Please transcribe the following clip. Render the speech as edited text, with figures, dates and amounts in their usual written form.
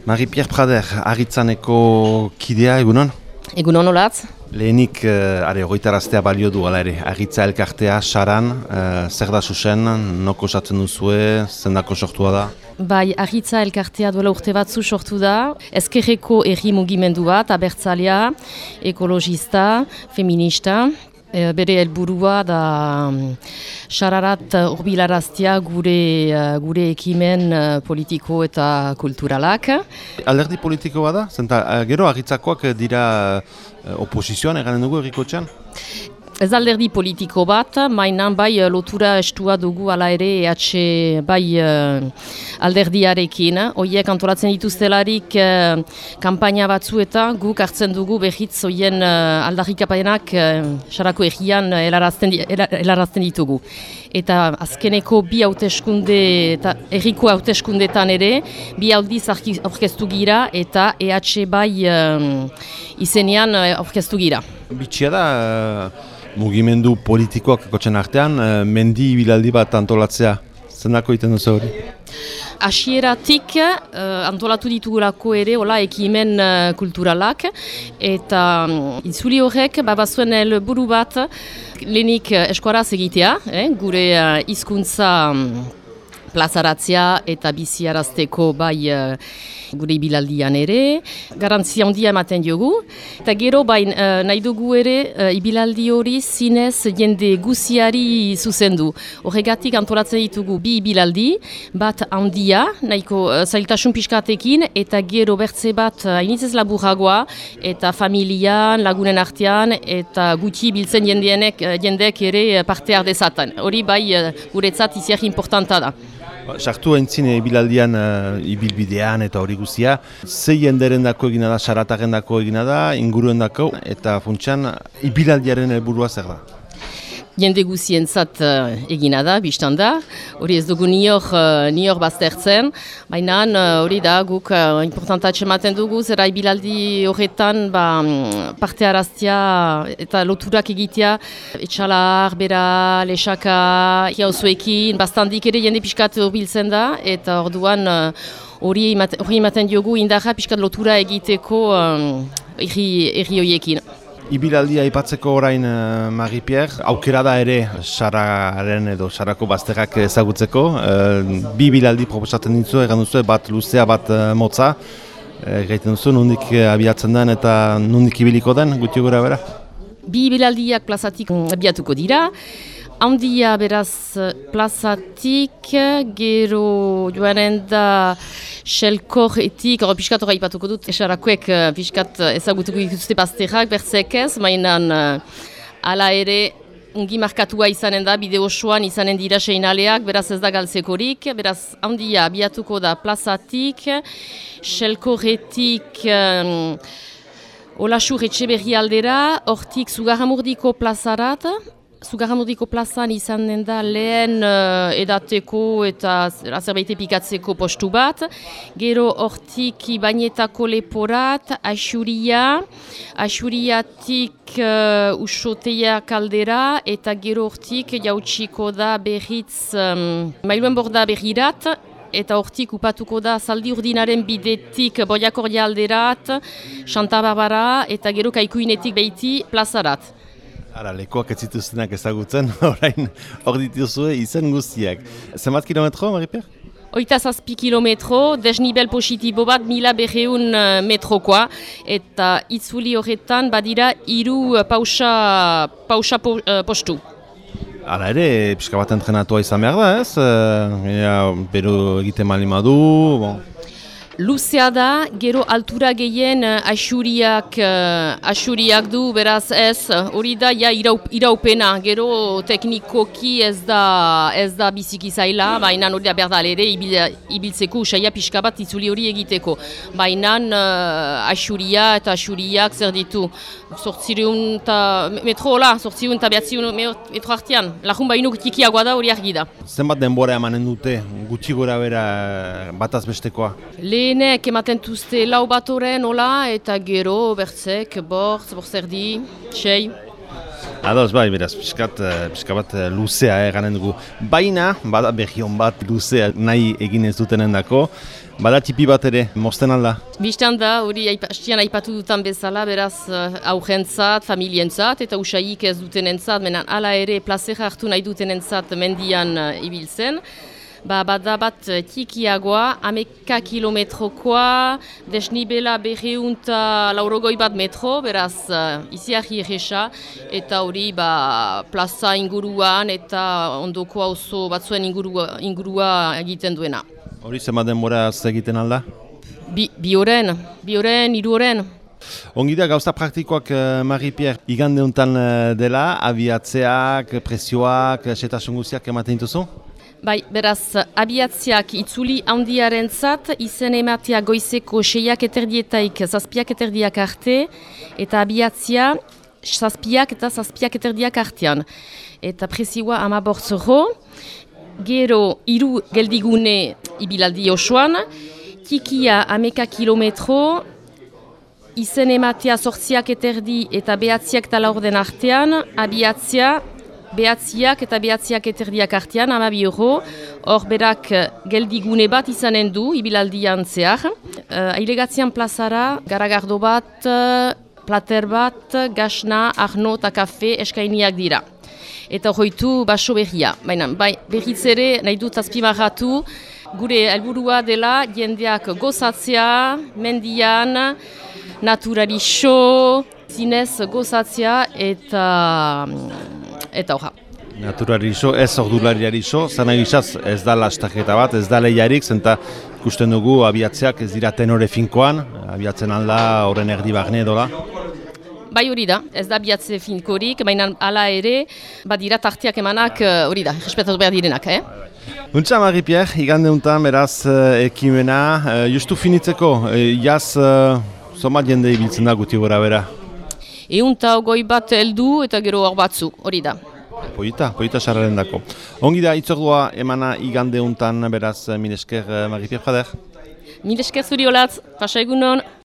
Marie-Pierre Prader, Aritzaneko kidea, egunon? Egunon olatz. Lehenik, hogeitaraztea balio du, ala ere, Aritza elkartea, Saran, zer da zuzen, noko osatzen duzue, zendako sortua da? Bai, Aritza elkartea duela urte batzu sortu da, ezkerreko erri mugimendu bat, abertzalea, ekologista, feminista. Bere helburua da Sararat hurbilaraztea gure ekimen politiko eta kulturalak. Alderdi politikoa da? Gero Aritzakoak dira oposizioan eganen dugu errikotxean? Ez alderdi politiko bat, mainan bai lotura estua dugu ala ere EH bai alderdiarekin. Hoiek antolatzen dituztelarik kanpaina batzu eta guk hartzen dugu behitz hoien aldarrikapenak Sarako errian helarazten ditugu. Eta azkeneko bi hauteskunde eta erriko hauteskundetan ere, bi aldiz aurkeztu gira eta EH bai izenean aurkeztu gira. Bitxia da, mugimendu politikoak kotzen artean, mendi ibilaldi bat antolatzea. Zendako iten duzu hori? Hasieratik antolatu ditugulako ere hola ekimen kulturalak eta itzuli horrek bazuen helburu bat lehenik eskuaraz egitea, gure hizkuntza plazaratzea eta biziarazteko bai gure ibilaldian ere, garantzia handia ematen diogu. Eta gero bai nahi dugu ere ibilaldi hori zinez jende guziari zuzendu. Horregatik antolatzen ditugu bi ibilaldi, bat handia, nahiko zailtasun pixkatekin, eta gero bertze bat hainitzez laburagoa, eta familian, lagunen artean, eta gutxi biltzen jendeek ere parte hardezaten. Hori bai guretzat iziak importanta da. Sartu haintzin ibilaldian, ibilbidean eta hori guzia, zei jenderen dako egina da, sarataren dako egina da, inguruen dako, eta funtsan ibilaldiaren helburua zer da? Jende guzientzat egina da, biztan da, hori ez dugu nior baztertzen, baina hori da guk importantatxe ematen dugu, zera ibilaldi horretan parte araztea eta loturak egitea, etxalar, bera, lesaka, jauzuekin, bastandik ere jende pixkat urbiltzen da, eta orduan hori ematen diogu indarra pixkat lotura egiteko erri horiekin. Ibilaldia aipatzeko orain Marie-Pierre, aukera da ere Sararen edo Sarako bazterrak ezagutzeko. Bi ibilaldi proposatzen ditzu, egan duzu, bat luzea, bat motza. Gaiten duzu, nondik abiatzen den eta nondik ibiliko den, guti gura bera? Bi ibilaldiak plazatik abiatuko dira. Handia beraz plazatik, gero joanen da Selkorretik, piskat horra ipatuko dut, Sarakoek piskat ezagutuko dituzte bazterrak, bertzek ez, mainan ala ere ungi markatua izanen da, bide osoan izanen dira seinaleak, beraz ez da galtzekorik, beraz handia abiatuko da plazatik, Selkorretik Olasur Etxeberri aldera, hortik Zugarramurdiko plazarat, Zugarramurdiko plazan izan den da lehen edateko eta zerbait epikatzeko postu bat. Gero hortik Ibainetako leporat, Axuriatik Usoteia kaldera eta gero hortik jautsiko da berriz Mailuen Borda berrirat. Eta hortik upatuko da Zaldi Urdinaren bidetik Boiakordia alderat, Santa Barbara eta gero Kaikuinetik behiti plazarat. Ara, lekoak ez zituztenak ezagutzen, orain hor dituzue izen guztiak. Zenbat kilometro, Marie-Pierre? 8 kilometro, desnibel positibo bat 1200 metrokoa, eta itzuli horretan badira 3 pausa postu. Hala ere, pixka bat entrenatua izan behar da, ez? Bero egiten malimadu, bon. Luzea da, gero altura gehien Axuriak du, beraz ez, hori da iraupena, gero teknikoki ez da biziki zaila, baina hori da berdal ere ibiltzeko usaia pixka bat itzuli hori egiteko. Baina Axuria eta Axuriak zer ditu, 800 metro hola, 800 eta 900 metro artean, lajun baino tikiagoa da hori argi da. Zenbat denbora emanen dute, gutxi gora bera bataz bestekoa? Lehenek ematen tuzte 4 bat horren, hola, eta gero bertzek, bortzerdi, 6. Ados, bai, beraz, pixka bat luzea ganen dugu. Baina, bada behion bat luzea nahi egin ez dutenen dako, Bada tipi bat ere, mozten alda? Bistan da, hori hastian aipatu dutan bezala, beraz aurrentzat, familientzat eta usaik ez dutenentzat, menan hala ere plazera hartu nahi dutenentzat mendian ibiltzen. Bada bat tikiagoa, 11 kilometrokoa, desnibela 240 bat metro, beraz iziarri erresa, eta hori plaza inguruan eta ondoko auzo batzuen ingurua egiten duena. Hori zenbat denboraz egiten alda? Bi oren, 3 oren. Ongi da, gauza praktikoak, Marie-Pierre, igande honetan dela, abiatzeak, prezioak, setasun guztiak ematen dituzu? Bai, beraz, abiatziak itzuli handiaren zat, izen ematea goizeko 6:30 7:30 arte, eta abiatzia 7 eta 7:30 artean. Eta prezioa 15 euro, gero 3 geldigune ibilaldi osoan, tikia 11 kilometro, izen ematea 8:30 eta 9:00 eta 4 artean, abiatzia behatziak eta 9:30 artean, 12 euro, hor berak geldigune bat izanen du, ibilaldian zehar. Ailegatzean plazara, garagardo bat, plater bat, gasna, arno eta kafe eskainiak dira. Eta hoitu baso berria. Baina, berriz ere nahi dut azpimarratu, gure helburua dela jendeak gozatzea, mendian, naturari so, zinez gozatzea eta horra. Naturari iso, ez ordulariari iso, zana gizaz ez da lastaketa bat, ez da lehiarik, zenta ikusten dugu abiatzeak ez dira tenore finkoan, abiatzen alda horren erdi barne edola. Bai hori da, ez da abiatze finkorik, baina hala ere, dira tartiak emanak hori da, respetatu behar direnak, Untsa, Marie-Pierre, igande untan beraz ekimena, justu finitzeko, jaz, zomat jende ibiltzen da guti gora bera? 120 bat heldu eta gero hor batzu, hori da. Poita sarraren dako. Ongi da, itzordua emana igande untan beraz, mil esker, Marie-Pierre Jader. Mil esker zuri olatz, pasa egunon.